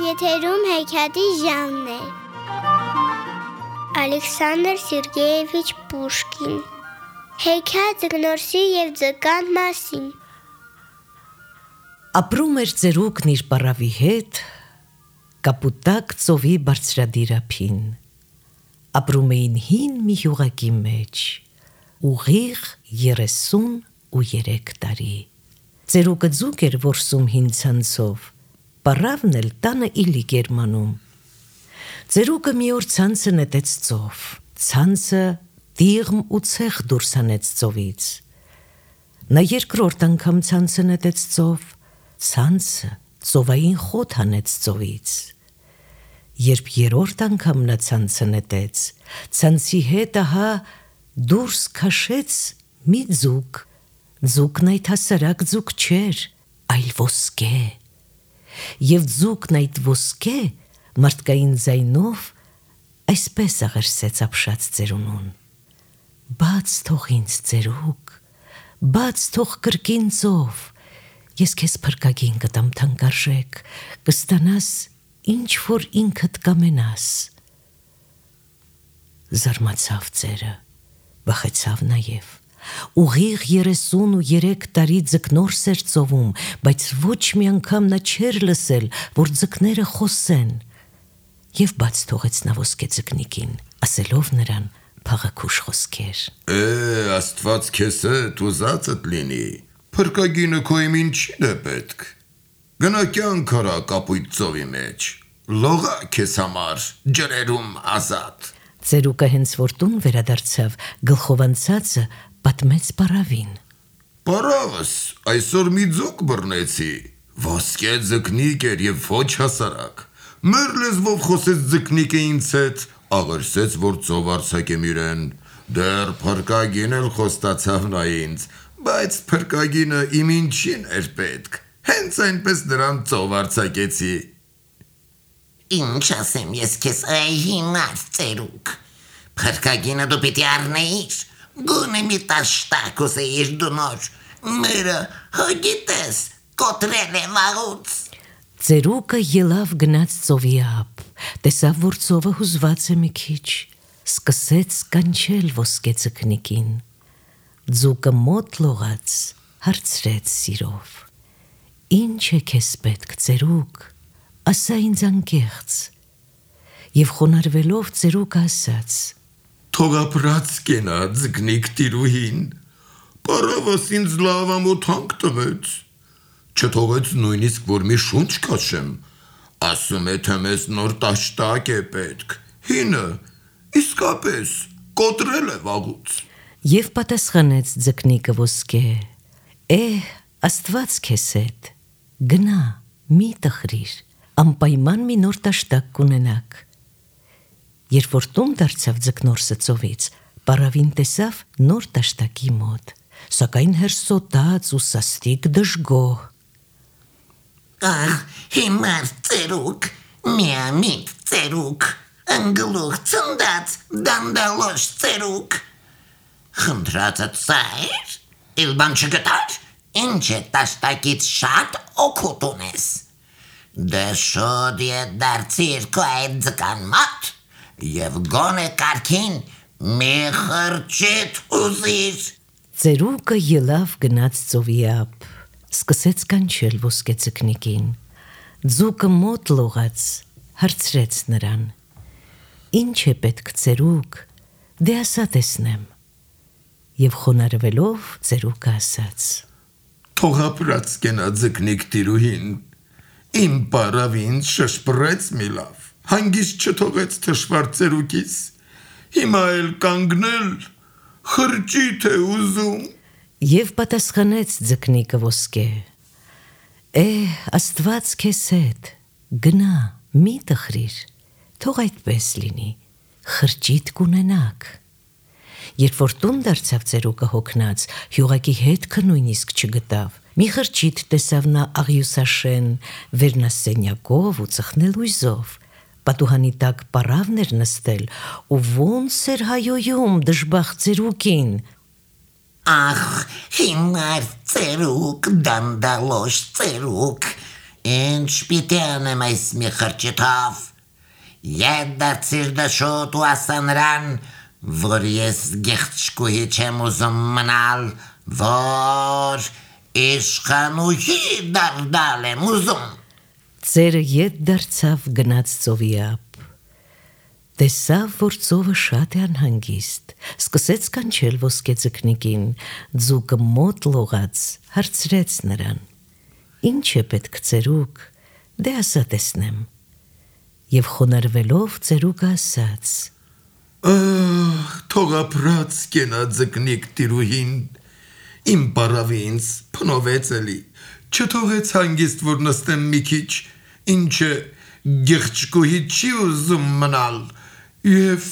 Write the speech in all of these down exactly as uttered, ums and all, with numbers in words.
Եթերում հեքիաթի ժամն է։ Ալեքսանդր Սերգեևիչ Պուշկին։ Հեքիաթ Ձկնորսի և ձկան մասին։ Ապրում էր ծերուկն իր պառավի հետ Կապուտակ ծովի բարձրադիր ափին։ Ապրում էին հին մի հյուղակի մեջ, ուղիղ երեսուն ու երեք տարի։ Ծերուկը ձուկ էր որսում հին ցանցով, պառավն էլ տանը իլիկ էր մանում։ Ծերուկը մի օր ցանցը նետեց ծով, ցանցը տիղմ ու ցեխ դուրս հանեց ծովից։ Նա երկրորդ անգամ ցանցը նետեց ծով, ցանցը ծովային խոտ հանեց ծովից։ Երբ երրորդ անգամ նա ցանցը նետեց, ցանցի հետ ահա դուրս քաշեց մի ձուկ։ Ձուկն այդ հասարակ ձուկ չէր, այլ ոսկե։ Եվ ձուկն այդ ոսկե մարդկային ձայնով այսպես աղերսեց ապշած ծերունուն. «Բաց թող ինձ ծերուկ, բաց թող կրկին ծով, ես քեզ փրկագին կտամ թանկարժեք, կստանաս ինչ որ ինքդ կամենաս»։ Զարմացավ ծերը, վախեցավ նաև։ Ուղիղ երեսուն ու երեք տարի ձկնորս էր ծովում, բայց ոչ մի անգամ նա չէր լսել, որ ձկները խոսեն։ Եվ բաց թողեց նա ոսկե ձկնիկին, ասելով նրան փաղաքուշ խոսքեր. «Է, Աստված քեզ հետ ուզածդ լինի, փրկագինը քո իմ ինչին է պետք։ Գնա կյանք արա կապույտ ծովի մեջ, լողա քեզ համար ջրերում ազատ»։ Ծերուկը հենց որ տուն վերադարձավ, գլխով անցածը պատմեց պառավին. «Պառավս, այսօր մի ձուկ բռնեցի, ոսկե ձկնիկ էր և ոչ հասարակ։ Մեր լեզվով խոսեց ձկնիկը ինձ հետ, աղերսեց, որ ծով արձակեմ իրեն, դեռ փրկագին էլ խոստացավ նա ինձ, բայց փրկագինը իմ ինչին էր պետք, հենց այնպես նրան ծով արձակեցի»։ «Ինչ ասեմ ես քեզ, այ հիմար ծերուկ, փրկագինը դու պիտի առնեիր, գոնե մի տաշտակ ուզեիր դու նոր, մերը հո գիտես, կոտրել է վաղուց»։ Ծերուկը ելավ գնաց ծովի ափ, տեսավ, որ ծովը հուզված է մի քիչ, սկսեց կանչել ոսկե ձկնիկին։ Ձուկը մոտ լողաց, հարցրեց սիրով. «Ինչ է քեզ պետք, ծերուկ, ասա ինձ անկեղծ»։ Եվ խոնարհվելով ծերուկը ասաց. «Թող ապրած կենա ձկնիկ տիրուհին, պառավս ինձ լավ ամոթ հանք տվեց, չթողեց նույնիսկ որ մի շունչ քաշեմ, ասում է թե մեզ նոր տաշտակ է պետք, հինը իսկապես կոտրել է վաղուց»։ Եվ պատասխանեց ձկնիկը ոսկե. «Էհ, Աստված քեզ հետ, գնա, մի տխրիր, անպայման մի նոր տաշտակ կունենաք»։ Երբ որ տուն դարձավ ձկնորսը ծովից, պառավին տեսավ նոր տաշտակի մոտ, սակայն հերսոտած ու սաստիկ դժգոհ։ «Ահ, հիմար ծերուկ, միամիտ ծերուկ, ընգլուխ ցնդած դանդալոշ ծերուկ, խնդրածդ սա էր, իլ բան չգտար, ինչ է տաշտակից շատ օգուտ ունես, դե շոտ ետ դարձիր քո այդ ձկան մոտ և գոնե կարգին մի խրճիթ ուզիր»։ Ծերուկը ելավ գնաց ծովի ափ, սկսեց կանչել ոսկե ձկնիկին։ Ձուկը մոտ լողաց, հարցրեց նրան. «Ինչ է պետք, ծերուկ, դե ասա տեսնեմ»։ Եվ խոնարհվելով ծերուկը ասաց. «Թող ապրած կենա ձկնիկ տիրուհին, իմ պառավին շշպռեց մի լավ, հանգիստ չթողեց թշվառ ծերուկիս, հիմա էլ կանգնել խրճիթ է ուզում»։ Եվ պատասխանեց ձկնիկը ոսկե. «Էհ, Աստված քեզ հետ, գնա, մի տխրիր, թող այդպես լինի, խրճիթ կունենաք»։ Երբ որ տուն դարձավ ծերուկը հոգնած, հյուղակի հետքը նույնիսկ չգտավ, մի խրճիթ տեսավ նա աղյուսաշեն, վերնասենյակով ու ծխնելույզով, Պատուհանի տակ պարավն էր նստել ու ոնց էր հայոյում դժբախտ ծերուկին։ Ախ, հիմար ծերուկ, դանդալոշ ծերուկ, ինչ պիտի անեմ այս մի խրճիթով։ Ետ դարձիր դաշոտ ու ասա նրան, որ ես գեղցկուհի չեմ ուզում մնալ, որ իշխանուհի դառնալ եմ ուզում։ Ծերը ետ դարձավ գնաց ծովի ափ։ Տեսավ, որ ծովը շատ է անհանգիստ, սկսեց կանչել ոսկե ձկնիկին, ձուկը մոտ լողաց, հարցրեց նրան. Ինչ է պետք ծերուկ, դե ասա տեսնեմ։ Եվ խոնարհվելով ծերուկը ասաց. Ահ, թող ապրած կենա ձկնիկ տիրուհին, իմ պարավի ինձ փնովեց էլի, չթողեց հանգիստ, որ նստեմ մի քիչ, ինչը գեղցկուհի չի ուզում մնալ, և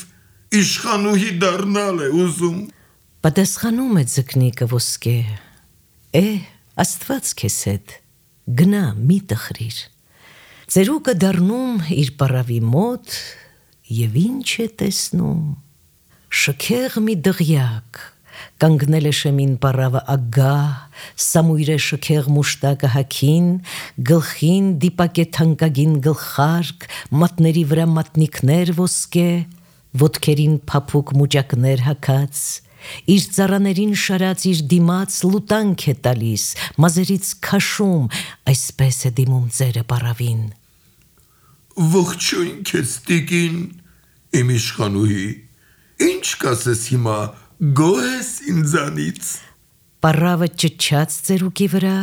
իշխանուհի դառնալ է ուզում։ Պատասխանում է ձկնիկը ոսկե. Է, Աստված քեզ հետ, գնա մի տխրիր։ Ծերուկը դառնում իր պարավի մոտ և ինչ է տեսնում։ Շքեղ մի դղյակ, կանգնել է շեմին պարավը ագահ, սամույր է շքեղ մուշտակը հագին, գլխին դիպակ է թանկագին գլխարկ, մատների վրա մատնիկներ ոսկե, ոտքերին փափուկ մուճակներ հագած, իր ծառաներին շարած իր դիմաց լուտանք է տալիս, մազերից քաշում, այսպես է դիմում ծերը պարավին։ Ողջույն քեզ տիկին, իմ իշխանուհի, ինչ կասես հիմա, գոհ ես ինձանից։ Պարավը ճչաց ծերուկի վրա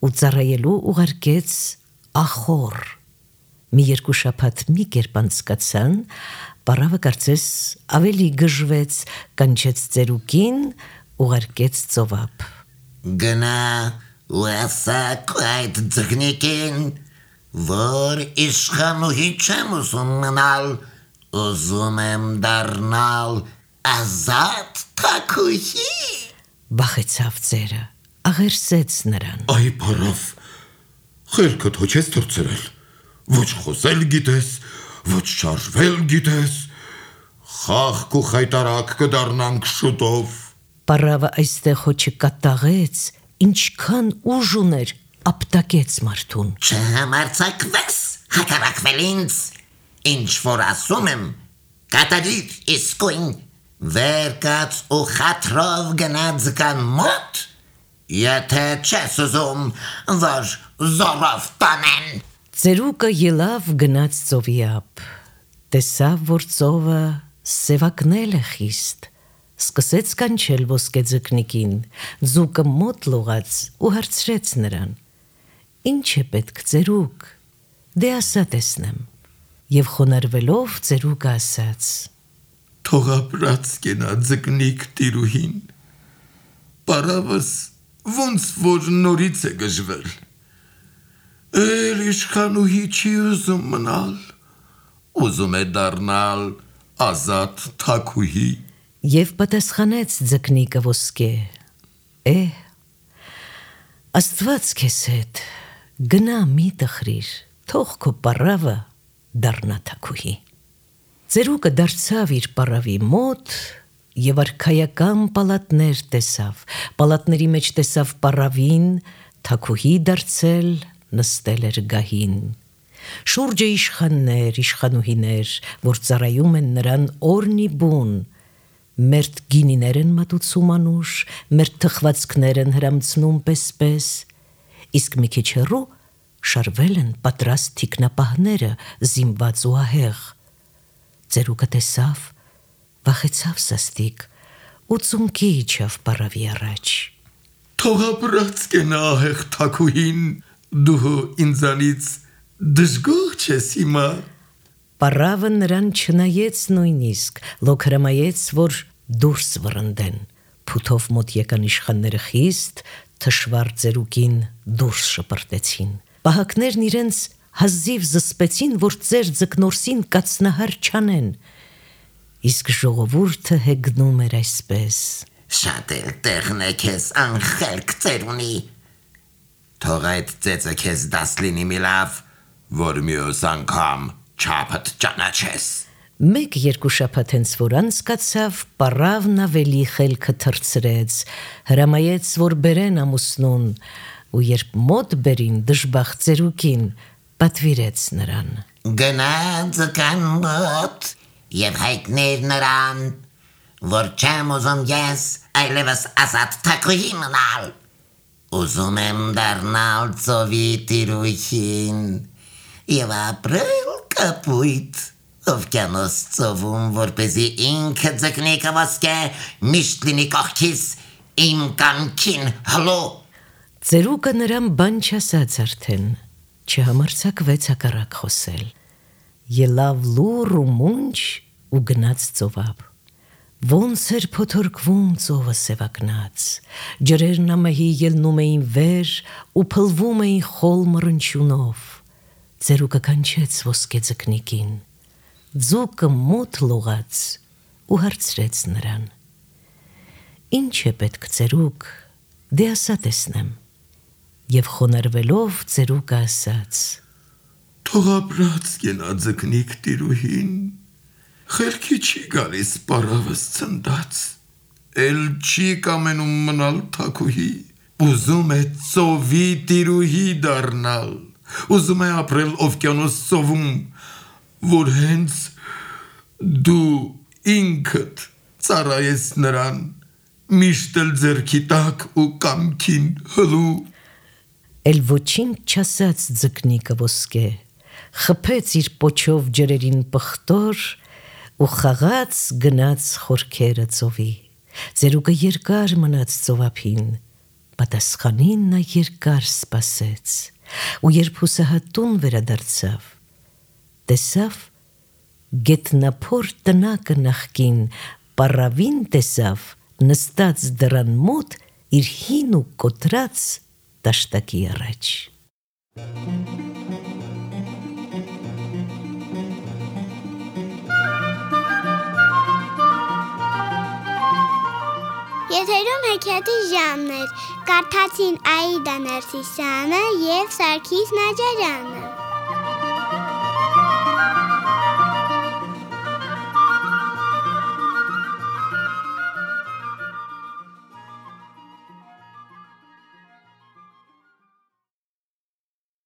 ու ծառայելու ուղարկեց ախոր։ Մի երկու շաբաթ մի կերպ անցկացան, պարավը կարծես ավելի գժվեց, կանչեց ծերուկին, ուղարկեց ծովափ։ Գնա ու ասա քո այդ ձկնիկին, որ իշխանուհի չեմ ուզում մնալ, ուզում եմ դառնալ ազատ թագուհի։ Բախեցավ ծերը, աղերսեց նրան։ Այ պարավ, խելքդ հո չես թռցրել, ոչ խոսել գիտես, ոչ շարժվել գիտես, խաղք ու խայտարակ կդառնանք շուտով։ Պարավը այստեղ հո չկատաղեց, ինչքան ուժ ուներ, ապտակեց մարդուն։ Չհամարձակվես հակառակվել ինձ, ինչ որ ասում եմ, կատարիր իսկույն, վեր կաց ու խաթրով գնա ձկան մոտ, եթե չես ուզում, որ զորով տանեն։ Ծերուկը ելավ գնաց ծովի ափ, տեսավ, որ ծովը սևակնել է խիստ, սկսեց կանչել ոսկե ձկնիկին, ձուկը մոտ լողաց ու հարցրեց նրան. Ինչ է պետք ծերուկ, դե ասա տեսնեմ։ Եվ խոնարհվելով ծերուկը ասաց. Թող ապրած կենա ձկնիկ տիրուհին, պարավս ոնց որ նորից է գժվել, էլ իշխանուհի չի ուզում մնալ, ուզում է դառնալ ազատ թագուհի։ Եվ պատասխանեց ձկնիկը ոսկե. Է, Աստված քեզ հետ, գնա մի տխրիր, թող քո պարավը դառնա թագուհի։ Ծերուկը դարձավ իր պարավի մոտ և արքայական պալատներ տեսավ, պալատների մեջ տեսավ պարավին, թագուհի դարձել, նստել էր գահին։ Շուրջը իշխաններ, իշխանուհիներ, որ ծառայում են նրան օրնի բուն, մերթ գինիներ են մատուցում անուշ, մերթ թխվածքներ են հրամցնում պես-պես, իսկ մի քիչ հեռու շարվել են պատրաստ թիկնապահները զինված ու ահեղ։ Ծերուկը տեսավ, վախեցավ սաստիկ ու ծունկի իջավ պարավի առաջ։ Թող ապրած կենա ահեղ թագուհին, դու ինձանից դժգոհ չես հիմա։ Պարավը նրան չնայեց նույնիսկ, լոք հրամայեց, որ դուրս վռնդեն։ Փութով մոտ եկան իշխանները խիստ, թշվառ ծերուկին դուրս շպրտեցին։ Պահակներն իրենց հազիվ զսպեցին, որ ծեր ձկնորսին կացնահար չանեն։ Իսկ ժողովուրդը հեգնում էր այսպես. Շատ էլ տեղն է քեզ անխելք ծերունի։ Թող այդ ծեծը քեզ դաս լինի մի լավ, որ մյուս անգամ չափդ ճանաչես։ Մեկ երկու շաբաթ հենց որ անցկացավ, պարավն ավելի խելքը թրծրեց, հրամայեց, որ բերեն ամուսնուն, ու երբ մոտ բերին դժբախտ ծերուկին, պատվիրեց նրան. Գնա ձկան մոտ և հայտներ նրան, որ չեմ ուզում ես այլևս ազատ թագուհի մնալ, ուզում եմ դառնալ ծովի տիրուհին և ապրել կապույտ օվկիանոս ծովում, որպեսզի ինքը ձկնիկը ոսկե միշտ լինի կողքիս իմ կամքին հլու։ Ծերուկը նրան բան չասաց արդեն, չհամարձակվեց հակառակ խոսել, ելավ լուռ ու մունջ ու գնաց ծովափ։ Ոնց էր փոթորկվում ծովը սևակնած, ջրերն ամահի ելնում էին վեր ու փլվում էին խոլ մռնչյունով։ Ծերուկը կանչեց ոսկե ձկնիկին, ձուկը մոտ լողաց ու հարցրեց նրան. Ինչ է պետք ծերուկ, դե ասա տեսնեմ։ Եվ խոնարհվելով ծերուկը ասաց. Թող ապրած գնա ձկնիկ տիրուհին, խելքի չի գալիս պարավս ցնդած, էլ չի կամենում մնալ թագուհի, ուզում է ծովի տիրուհի դառնալ, ուզում է ապրել օվկիանոս ծովում, որ հենց դու ինքդ ծառայես նրան, միշտ էլ ձեռքի տակ ու կամքին հլու։ Էլ ոչինչ չասաց ձկնիկը ոսկե, խփեց իր պոչով ջրերին պղտոր ու խաղաց գնաց խորքերը ծովի։ Ծերուկը երկար մնաց ծովափին, պատասխանին նա երկար սպասեց, ու երբ հուսահատուն վերադարձավ, տեսավ գետնափոր տնակը նախկին, պարավին տեսավ նստած դռան մոտ իր հին ու կոտրած տաշտակի առաջ։ Եթերում հեքիաթի ժամն էր, կարդացին Աիդա Ներսիսյանը և Սարգիս Նաջարյանը։